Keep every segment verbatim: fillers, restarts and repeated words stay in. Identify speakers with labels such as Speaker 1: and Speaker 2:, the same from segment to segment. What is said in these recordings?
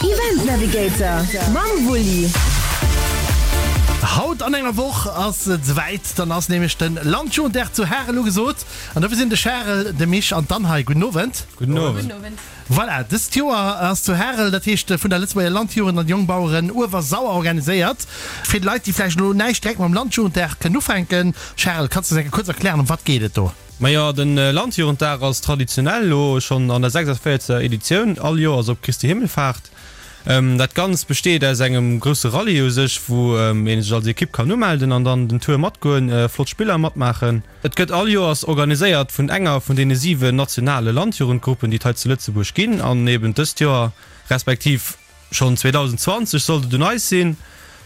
Speaker 1: Event Navigator mam Wulli.
Speaker 2: Haut an enger Woch ass et souwäit, dann ass nämlech de Landjugenddag zu Harel ugesot. An dofir sinn de Charel, de Misch an d'Anne hei. Gudden Owend.
Speaker 3: Gudden Owend.
Speaker 2: Voilà, dëst Joer ass zu Harel, dat heescht vun der Lëtzebuerger Landjugend an Jongbaueren Uewersauer organiséiert. Fir d'Leit, déi vläicht elo näischt direkt mam Landjugenddag kënnen ufänken, Charel, kanns de eis eng Kéier kuerz erklären, ëm wat geet et do?
Speaker 3: Majo, de Landjugenddag ass traditionell elo schonn an der sechsundvéierzegster Editioun, all Joers op Christi Himmelfahrt. Dat Ganzt besteet aus engem grousse Rallye u sech, wou ee sech als Ekipp kann umelden an dann den Tour matgoen, flott Spiller matmaachen. Et gëtt all Joers organiséiert vun enger vun deene siwen nationale Landjugendgruppen, déi et hei zu Lëtzebuerg ginn. An eben dëst Joer, respektiv schonn zweedausendzwanzeg sollt et un eis sinn.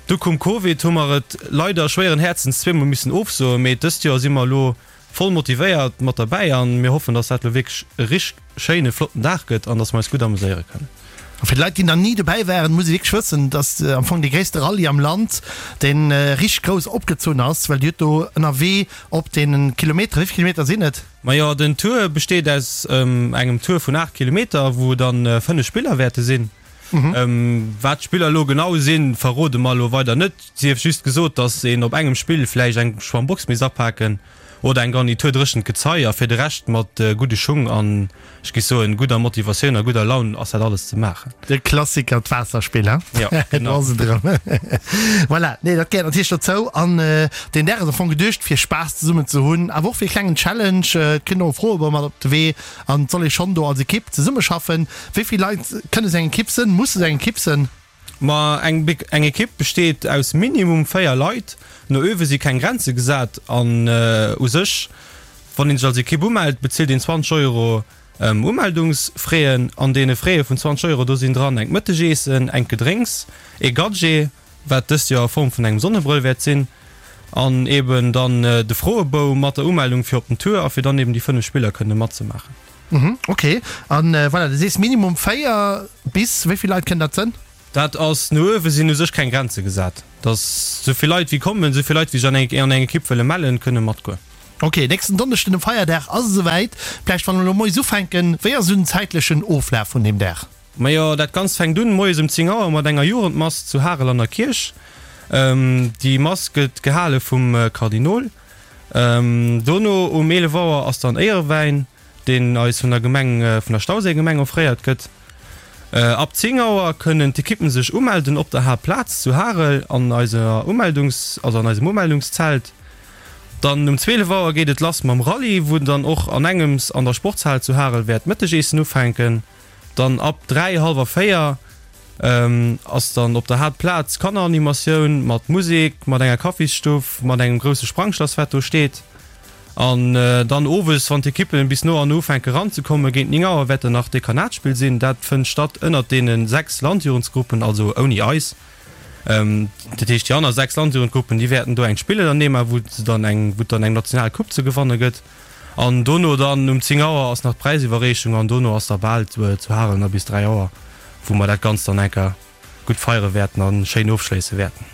Speaker 3: Du koum Covid, hu mer et leider schwéieren Häerzens zweemol missen ofsoen, mee dëst Joer si mer elo voll motivéiert mat derbäi an mir hoffen, dass dat elo wierklech e richteg schéine flotten Dag gëtt an dass mer eis gutt amuséiere kënnen.
Speaker 2: A fir d'Leit, déi nach ni dobäi waren, muss ee wierklech wëssen, dass am Fong dee gréisste Rallye am Land, dee richteg grouss opgezunn ass, well Dir hutt do ënnerwee op deene Kilometer, wéi vill Kilometer sinn et?
Speaker 3: Majo, den Tour besteet aus engem Tour vun aacht Kilometer, wou dann fënnef Spiller wäerte sinn. Wat d'Spiller elo genau sinn, verrode mer elo weider net. Sief just gesot, dass een op engem Spill vläicht eng Schwammbox misst apaken oder eng Garnitur dréchent Gezei a fir de Rescht mat gudde Schung an, ech géif soen, gudder Motivatioun a gudder Laun ass dat alles ze maachen.
Speaker 2: De Klassiker, d'Waasserspill, he?
Speaker 3: Jo, genau.
Speaker 2: Do ass et erëm. Voilà, nee, dat gehéiert natierlech dozou. An deen Dag ass am Fong geduecht, fir Spaass zesummen ze hunn, awer och fir e klengen Challenge. Et kritt een och e Froebou mat op de Wee an et soll ee schonn do als Ekipp zesummeschaffen. Wéi vill Leit kënne sou eng Ekipp sënn? Musse sou eng Ekipp sënn?
Speaker 3: Ma eng eng Ekipp besteet aus minimum véier Leit. No uewe si keng Grenze gesat an u sech, wann een sech als Ekipp umellt, bezilt een zwanzeg Euro Umeldungsfraisen. An deene Fraise vun zwanzeg Euro, do sinn dran engt Mëttegeessen, engt Gedrénks, ee Gadget, wat dëst Joer a Form vun engem Sonnebrëll wäert sinn, an eben dann de Froebou mat der Umeldung fir op den Tour a fir dann eben déi fënnef Spiller kënne matzemaachen.
Speaker 2: Mhm, ok. An voilà, du sees minimum véier bis wéi vill Leit kënnen dat sënn?
Speaker 3: Dat ass, no uewe sinn u sech keng Grenze gesat. Dass esou vill Leit wéi kommen, esou vill Leit wéi sech an eng an eng Ekipp wëlle mellen, kënne matgoen.
Speaker 2: Ok, nächsten Donneschden um Feierdag ass et esouwäit. Vläicht wann mer elo moies ufänken, wéi ass esou den zäitlechen Oflaf vun deem Dag?
Speaker 3: Majo, dat Ganzt fänkt un moies um zéng Auer mat enger Jugendmass zu Harel an der Kierch. Déi Mass gëtt gehale vum Kardinol. Dono um eelef Auer ass dann Éierewäin, deen eis vun der Gemeng, vun der Stauséigemeng offréiert gëtt. Ab zéng Auer kënnen d'Ekippen sech umelden op der Haaptplaz zu Harel an eiser Umeldungs, also an eisem Umeldungszelt. Dann um zwielef Auer geet et lass mam Rallye, wou dann och an engems an der Sportshal zu Harel wäert d'Mëttegeessen ufänken. Dann ab dräi, hallwer véier ass dann op der Haaptplaz Kanneranimatioun mat Musek, mat enger Kaffisstuff, mat engem grousse Sprangschlass wat do steet. An dann owes, wann d'Ekippen bis no an no ufänke ranzekommen, géint néng Auer wäert dann nach Dekanatsspill sinn. Dat fënnt statt ënnert deene sechs Landjugendsgruppen, also ouni eis. Dat heescht déi aner sechs Landjugendgruppen, déi wäerten do eng Spill ënnerneema wou se dann eng, wou et dann eng national Coupe ze gewanne gëtt. An dono dann um zéng Auer ass nach d'Präisiwwerreechung an dono ass da bal zu Harel nach bis dräi Auer, wou mer dat Ganzt dann enker gutt feiere wäerten a schéin ofschléisse wäerten.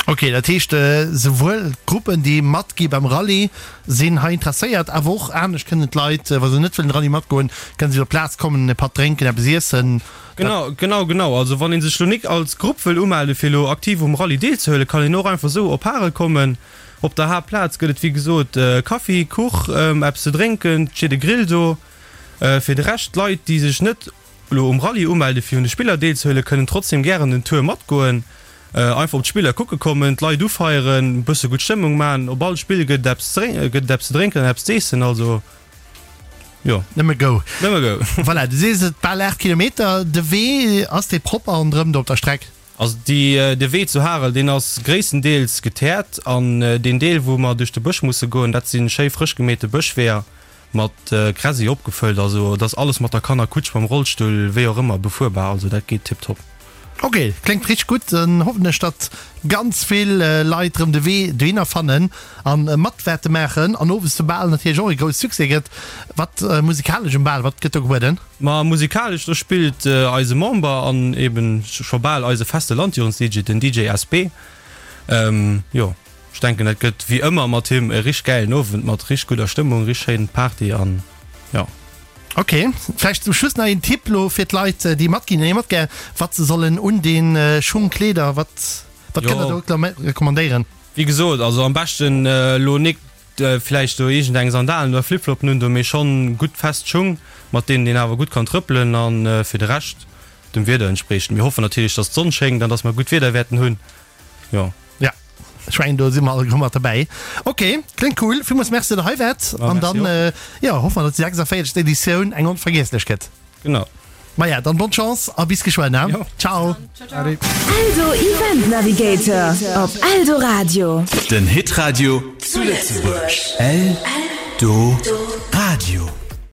Speaker 2: Ok, dat heescht souwuel d'Gruppen déi matgi beim Rallye sinn hei interesséiert, awer och anescht kënnen d'Leit, wa se net wëllen Rallye matgoen, kënnen si op d'Plaz kommen, e Patt drénken, eppes iessen.
Speaker 3: Genau, genau, genau. Also wann ee sech lo nik als Grupp wëll umelde fir elo aktiv um Rallye deelzehuelen, kann een och einfach esou op Harel kommen. Op der Haaptplaz gëtt et wéi gesot Kaffi, Kuch, eppes ze drénken, et steet e Grill do. Fir de Rescht, d'Leit déi sech net elo um Rallye umelde fir un de Spiller deelzehuelen, kënnen trotzdem gären den Tour matgoen. Einfach op d'Spiller kucke kommen, d'Leit ufeieren, e bësse gutt Stëmmung maachen. Op all Spill gëtt et eppes gëtt et eppes ze drénken an eppes z'eessen, also jo.
Speaker 2: Nëmme go.
Speaker 3: Nëmme go.
Speaker 2: Voilà, du sees et, bal aacht Kilometer. De Wee, ass dee propper ronderëm do op der Streck?
Speaker 3: Also déi, de Wee zu Harel, deen ass gréisstendeels geteert an deen Deel wou mer duerch de Bësch musse goen, dat si schéi frësch gemeete Bëschweeër mat Gräsi opgefëllt. Also et ass alles mat der Kannerkutsch, mam Rollstull, wéi och ëmmer befuerbar. Also dat geet tiptop.
Speaker 2: Ok, kléngt richteg gutt. Dann hoffen ech datt ganz vill Leit rëm de Wee dohinner fannen an mat wäerte maachen an owes de Bal natierlech och e grousse Succès gëtt. Wat musikalesch um Bal, wat gëtt do gebueden?
Speaker 3: Ma musikalesch, do spillt eise Member an eben scho bal eise feste Landjugends-D J, den D J S B. Jo, ech denken dat gëtt wéi ëmmer mat him e richteg gäilen Owend mat richteg gudder Stëmmung, richteg schéin Party an jo.
Speaker 2: Ok, vläicht zum Schluss nach een Tipp lo fir d'Leit, déi matginn, déi matgär, wat se sollen undinn, Schung, Kleeder, wat, wat kënnt der do recommandéieren?
Speaker 3: Wéi gesot, also am beschten elo nik vläicht do iergend eng Sandalen oder Flipfloppen un do, mee schonn gutt fest Schung, mat deenen een awer gutt kann trëppelen an fir de Rescht dem Wieder entspriechend. Mir hoffen natierlech, dass d'Sonn schéngt an dass mer gutt Wieder wäerten hunn, jo.
Speaker 2: Ja, ech mengen do si mer alleguer mat derbäi. Ok, kléngt cool. Villmools Merci, datt der hei waart. An dann, jo, hoffe mer, datt déi sechsundvéierzegst Editioun eng onvergiesslech gëtt.
Speaker 3: Genau.
Speaker 2: Maja, dann bonne Chance a bis geschwënn, he?
Speaker 3: Jo.
Speaker 2: Ciao.
Speaker 3: Allez.
Speaker 1: Eldo Event Navigator op Eldoradio.
Speaker 4: Den Hitradio zu Lëtzebuerg. Eldoradio.